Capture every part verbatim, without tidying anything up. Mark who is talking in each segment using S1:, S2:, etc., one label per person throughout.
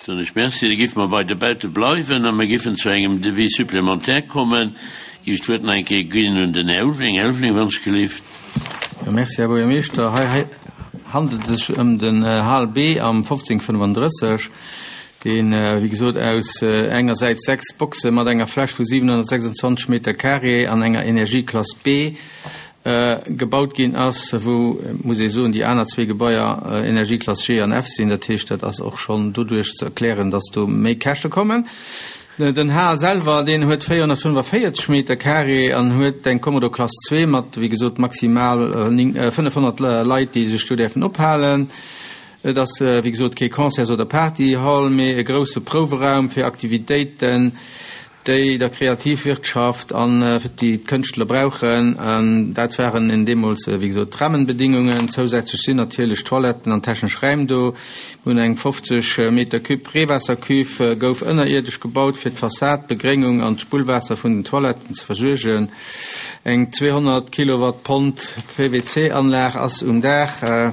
S1: Soen ech Merci. Da géife mer bei de Baute bleiwen a mer géifen zu engem Devis supplémentaire kommen. Géif ech d'Wuert nach eng Kéier ginn un den Här Ulveling. Här Ulveling, wann ech gelift.
S2: Jo, merci, Här Buergermeeschter. Hei handelt et sech ëm den Hal B am fofzéng fënnefandrësseg, deen, wéi gesot, aus engersäits sechs Boxe mat enger Fläch vu siwenhonnertsechsundzwanzeg Meter carré an enger Energieklass B gebaut ginn ass, wou, muss ee soen, déi aner zwee Gebaier Energieklass G an F sinn. Dat heescht, dat ass och schonn doduerch ze erklären, dass do méi Käschte kommen. Den Hal selwer, deen huet véierhonnertfënnefavierzeg Meter carré an huet eng Kommodo-Klass zwee mat, wéi gesot, maximal fënnefhonnert Leit, déi sech do däerfen ophalen. Et ass, wéi gesot, kee Concerts oder Partyhall, mee e grousse Prouweraum fir Aktivitéiten, déi der Kreativwirtschaft an déi d'Kënschtler brauchen. An dat waren deemools, wéi gesot, d'Rahmenbedingungen. Zousätzlech sinn natierlech Toiletten an technesch Räim do. Mir hunn eng fofzeg Meter Cube Reewaassercuve gouf ënnerierdesch gebaut, fir d'Fassad, d'Begréngung an d'Spullwaasser vun den Toiletten ze versuergen. Eng zweehonnert Kilowatt Pond P W C-Anlag ass um Daach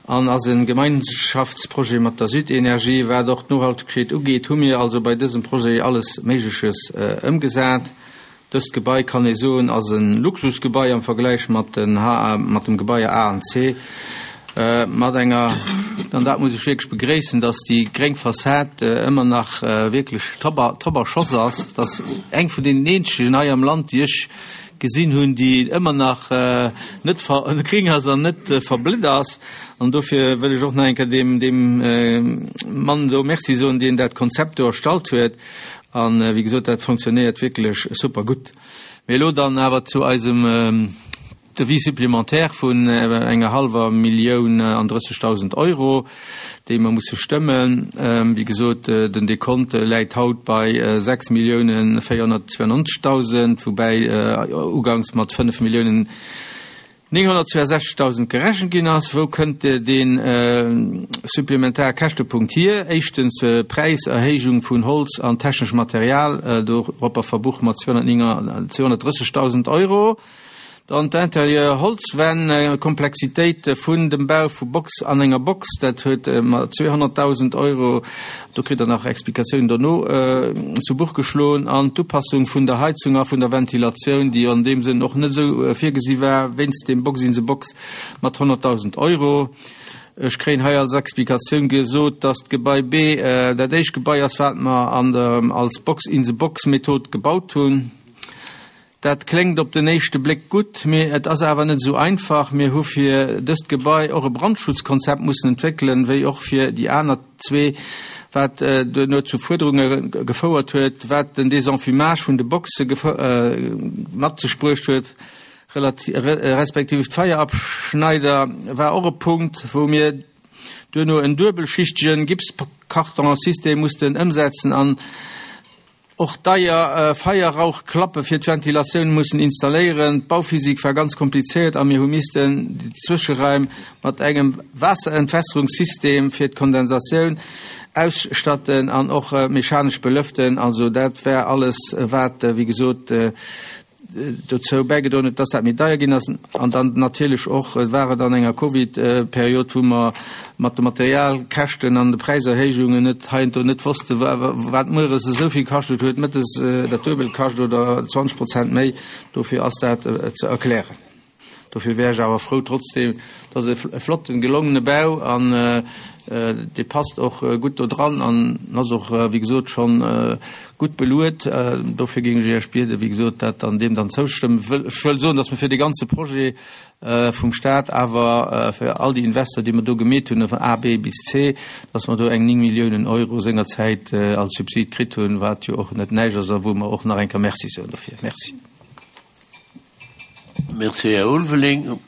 S2: an ass e Gemeinschaftsprojet mat der Südenergie. Wat och d'Nohaltegkeet ugeet, hu mir also bei dësem Projet alles Méigleches ëmgesat. Dëst Gebai, kann ee soen, ass e Luxusgebai am Vergläich mat den H A, mat dem Gebaier A an C. Mat enger, an dat muss ech wierklech begréissen, dass déi gréng Fassad ëmmer nach wierklech top a, top a Schoss ass. Dat ass eng vun deenen eenzegen hei am Land, déi ech gesinn hunn, déi ëmmer nach net gring ass an net verblitt ass. An dofir wëll ech och nach eng Kéier deem, deem Mann do Merci soen, deen dat Konzept do erstallt huet. An wéi gesot, dat funktionéiert wierklech super gutt. Mee elo dann awer zu eisem Devis supplémentaire vun enger hallwer Millioun an drëssegdausend Euro, déi mer musse stëmmen. Wéi gesot, den Dekont läit haut bei sechs Milliounen véierhonnertzweiundneunzegdausend, woubäi uganks mat fënnef Milliounen nénghonnertzweiundsechzegdausend gerechent ginn ass. Wou kënnt dee supplementare Käschtepunkt hier? Éischtens Präiserhéijung vun Holz an techneschem Material, doropper verbuche mer zweehonnertdrëssegdausend Euro. Dann d'Intérieur Holzwänn, Komplexitéit vun dem Bau vu Box an enger Box, dat huet mat zweehonnertdausend Euro, do kritt Der nach Explikatiounen dono, zu Buch geschloen. An d'Upassung vun der Heizung a vun der Ventilatioun, déi an deem Sënn och net esou virgesi war, wéinst dem Box in the Box mat honnertdausend Euro. Ech kréien hei als Explikatioun gesot, dass d'Gebai B dat éischt Gebai ass, wat mer an der als Box in the Box Method gebaut hunn. Dat kléngt op den éischte Bléck gutt, mee et ass awer net esou einfach. Mir hu fir dëst Gebai och e Brandschutzkonzept mussen entwéckelen, wéi och fir déi aner zwee, wat duerno zu Fuerderunge gefouert huet, wat den Désenfumage vun de Boxe mat sech bruecht huet, respektiv d'Feierabschneider war och e Punkt, wou mir duerno en duebelschichtegen Gipskartonsystem mussten ëmsetzen an och deier Feierrauchklappe fir d'Ventilatioun mussen installéieren. D'Bauphysik war ganz komplizéiert a mir hu missten déi Zwëscheraim mat engem Waasserentwässerungssystem fir d'Kondensatioun ausstatten an och mechanesch belëften. Also dat war alles, wat, wéi gesot, dozou bäigedroen huet, dass dat méi deier ginn ass. An dann natierlech och war et an enger Covid-Period, wou mer mat de Materialkäschten an de Präiserhéijungen net heiansdo net wosste wat mueres esou vill kascht huet, mëttes dat Duebelt kascht oder zwanzeg Prozent méi. Dofir ass dat ze erklären. Dofir wär ech awer frou trotzdem, dat ass e flotten, gelongene Bau an dee passt och gutt do dran an ass och, wéi gesot, schonn gutt beluet. Dofir géing ech Iech bieden, wéi gesot, dat an deem dann zoustëmmen. Ech wëll soen, datt mer fir dee ganze Projet vum Staat, awer fir all déi Investor, déi mer do gemeet hunn, vun A, B bis C, datt mer do eng néng Milliounen Euro sengerzäit als Subsid kritt hunn, wat jo och net näischt ass a wou mer och nach eng Kéier Merci soen dofir. Merci.
S1: Merci, Här Ulveling.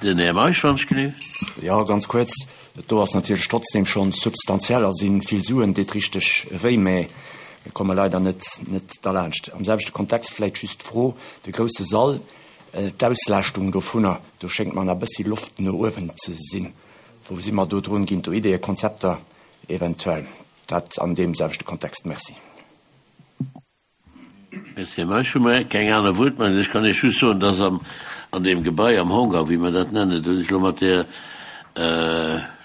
S1: Den Här Meisch, wann ech gelift.
S3: Jo, ganz kuerz. Do ass natierlech trotzdem schonn substantiell a sinn vill Suen, deet richteg wéi, mä mir komme leider net net derlaanscht. Am selwechte Kontext vläicht just d'Fro, de grousse Sall, d'Auslaaschtung dovunner, do schéngt mer nach e bëssi Loft no uewen ze sinn. Wou si mer do drun? Ginn do Ideeë, Konzepter eventuell? Dat an deem selwechte Kontext. Merci.
S1: Merci, Här Meisch. Hu mer keng aner Wuertmeldung? Ech kann Iech just soen, dass am, an deem Gebai am Hangar, wéi mer dat nennen, do hunn ech elo mat der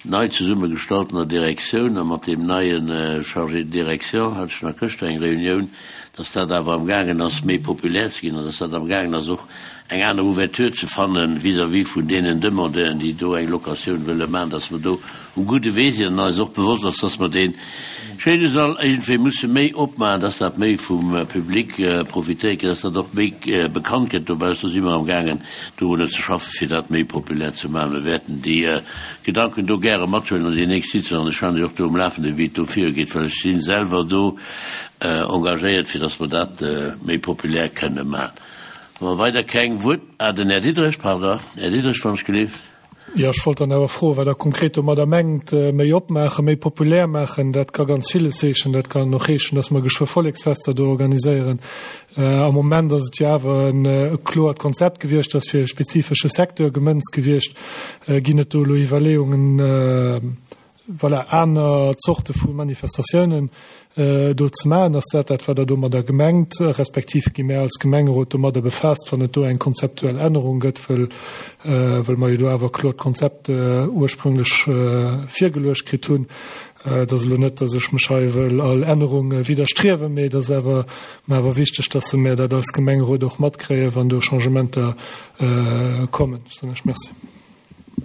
S1: nei zesummegestaltener Direktioun a mat deem neien Chargé de direction hat ech nach gëschter eng Reunioun, dass dat awer amgaangen ass méi populär ze ginn an dass dat amgaangen ass och eng aner Ouverture ze fanne vis-à-vis vun deenen Demandeuren, déi do eng Locatioun wëlle maachen, dass mer do um gudde Wee sinn an eis och bewosst ass, dass mer dee schéine Sall iergendwéi musse méi opmaachen, dass dat méi vum Public profitéiert gëtt, dass dat och méi bekannt gëtt dobaussen. Do si mer amgaangen dorunner ze schaffen, fir dat méi populär ze maachen. Mir wäerten déi Gedanken do gäre mathuelen an déi nächst Sitzung an ech halen Iech och do um Lafenden, wéi et do virugeet, well ech si selwer do engagéiert, fir dass mer dat méi populär kënne maachen. Wa mer weider keng Wuert, ah, den Här Diderich, pardon, Här Diderich, wann ech gelift.
S4: Jo, ech wollt dann awer froen, wat Der konkret domadder mengt, méi opmaachen, méi populär maachen. Dat ka ganz villes heeschen. Dat kann och heeschen, dass mer geschwë Volleksfester do organiséieren. Am Moment ass et jo awer e kloert Konzept gewiescht, ass fir e spezifesche Secteur gemënzt gewiescht. Ginn et do elo Iwwerleeungen, voilà, aner Zorte vu Manifestatiounen do ze maachen? Ass dat dat, wat Der domadder gemengt, respektiv gi mär als Gemengerot domadder befaasst, wann et do eng konzeptuell Ännerung gëtt, wëll, wëll mer jo do awer e kloert Konzept ursprünglech virgeluecht kritt hunn? Et ass elo net, datt ech mech hei wëll all Ännerung widderstriewen, mee et ass awer mer awer wichteg, datt mär dat als Gemengerot och matkréien, wann do Changementer kommen. Ech soen Iech Merci.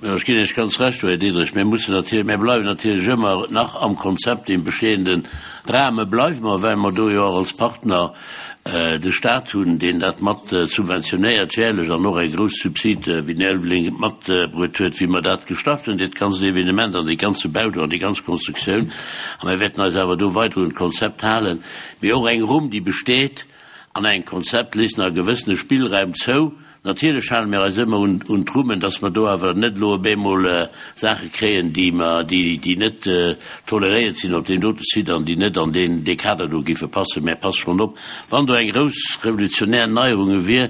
S1: Jo, ech ginn Iech ganz Recht do, Här Diderich. Mir mussen natierlech, mir bleiwen natierlech ëmmer nach am Konzept, deem bestehende Rahme bleiwe mer, well mer do jo och als Partner de Stat hunn, deen dat mat subventionéiert jährlech an och eng grouss Subside, wéi den Här Ulveling et matbruet huet, wéi mer dat gestart hunn, dat ganzt Evenement an dee ganze Bau do an déi ganz Konstruktioun. A mir wäerten eis awer do weider un d'Konzept halen. Mee och eng Rumm, déi besteet an engem Konzept, léisst nach e gewëssene Spillraum zou. Natierlech hale mir eis ëmmer un d'Rummen, dass mer do awer net elo op eemol Saache kréien, déi mer, déi, déi net toleréiert sinn op deem dote Site an déi net an deen, dee Kader do géife passen. Mä passt schonn op, wann do eng grouss revolutionär Neierunge wier,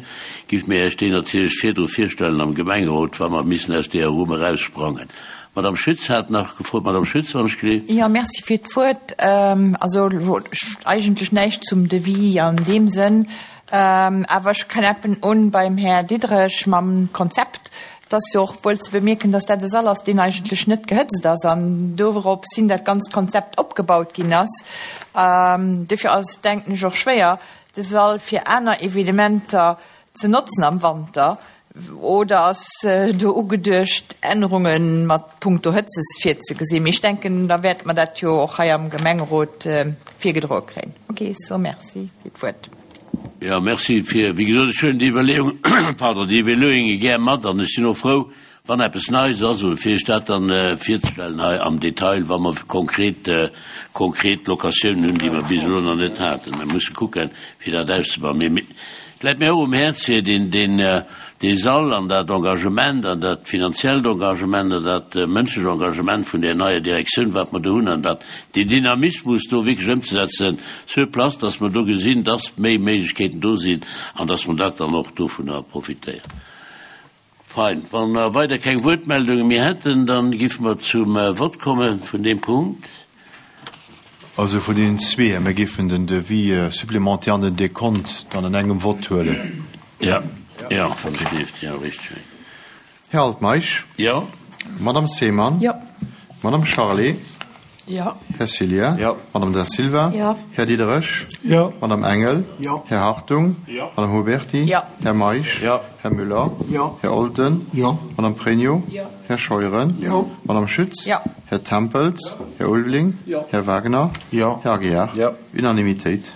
S1: géife mir Iech déi natierlech virdru virstellen am Gemengerot, wa mer missen aus deeër Rumm eraussprangen. D'Madame Schütz hat nach gefrot. Madame Schütz, wann ech gelift.
S5: Jo, merci fir d'Wuert. Also eigentlech näischt zum Devis an deem Sënn. Awer ech knäppen un beim Här Diderich mam Konzept. Et ass jo och wuel ze bemierken, dass dat e Sall ass, deen eigentlech net gehëtzt ass an dorops hin dat ganzt Konzept opgebaut ginn ass. Dofir ass et, denken ech, och schwéier, de Sall fir aner Evenementer ze notzen am Wanter. Oder ass do ugeduecht, Ännerunge mat punkto Hëtzes virzegesinn? Mee ech denken, da wäerte mer dat jo och hei am Gemengerot virgedroe kréien. Ok, so merci fir d'Wuert.
S1: Jo, merci fir, wéi gesot, ech huelen déi Iwwerleeung, pardon, déi Iwwerleeunge gär mat an ech sinn och frou, wann eppes Neies ass, oder fir Iech dat dann virzestellen hei am Detail, wa mer konkret, konkret Locatiounen hunn, déi mer bis elo nach net haten. Mir musse kucken, fir dat auszebauen. Mee et läit mir och um Häerz, fir deen, deen, dee Sall an dat Engagement an dat finanziellt Engagement an dat mënschlech Engagement vun där neier Direktioun, wat mer do hunn, an dat, deen Dynamismus do wierklech ëmzesetzen sur place, dass mer do gesinn, dass méi Méiglechkeeten do sinn an dass mer dat dann och dovunner profitéieren. Fein. Wa mer weider keng Wuertmeldunge méi hätten, da géife mer zum Vott komme vun deem Punkt.
S6: Also vun deenen zwee. Mir géifen den Devis supplémentaire an den Dekont dann an engem Vott huelen.
S1: Jo, jo, wann et dierft, jo, richteg.
S6: Här Altmeisch.
S1: Jo.
S6: Madame Seemann.
S5: Jo.
S6: Madame Charlé.
S5: Jo.
S6: Här Cillien.
S3: Jo.
S6: Madame Da Silva.
S5: Jo.
S6: Här Diderich.
S4: Jo.
S6: Madame Engel.
S3: Jo.
S6: Här Hartung.
S3: Jo.
S6: Madame Huberty.
S5: Jo.
S6: Här Meisch.
S3: Jo.
S6: Här Müller.
S3: Jo.
S6: Här Olden.
S3: Jo.
S6: Madame Pregno.
S5: Jo.
S6: Här Scheuren.
S3: Jo.
S6: Madame Schütz.
S5: Jo.
S6: Här Tempels. Här Ulveling.
S3: Jo.
S6: Här Wagner.
S3: Jo.
S6: Här Aguiar.
S3: Jo.
S6: Unanimitéit.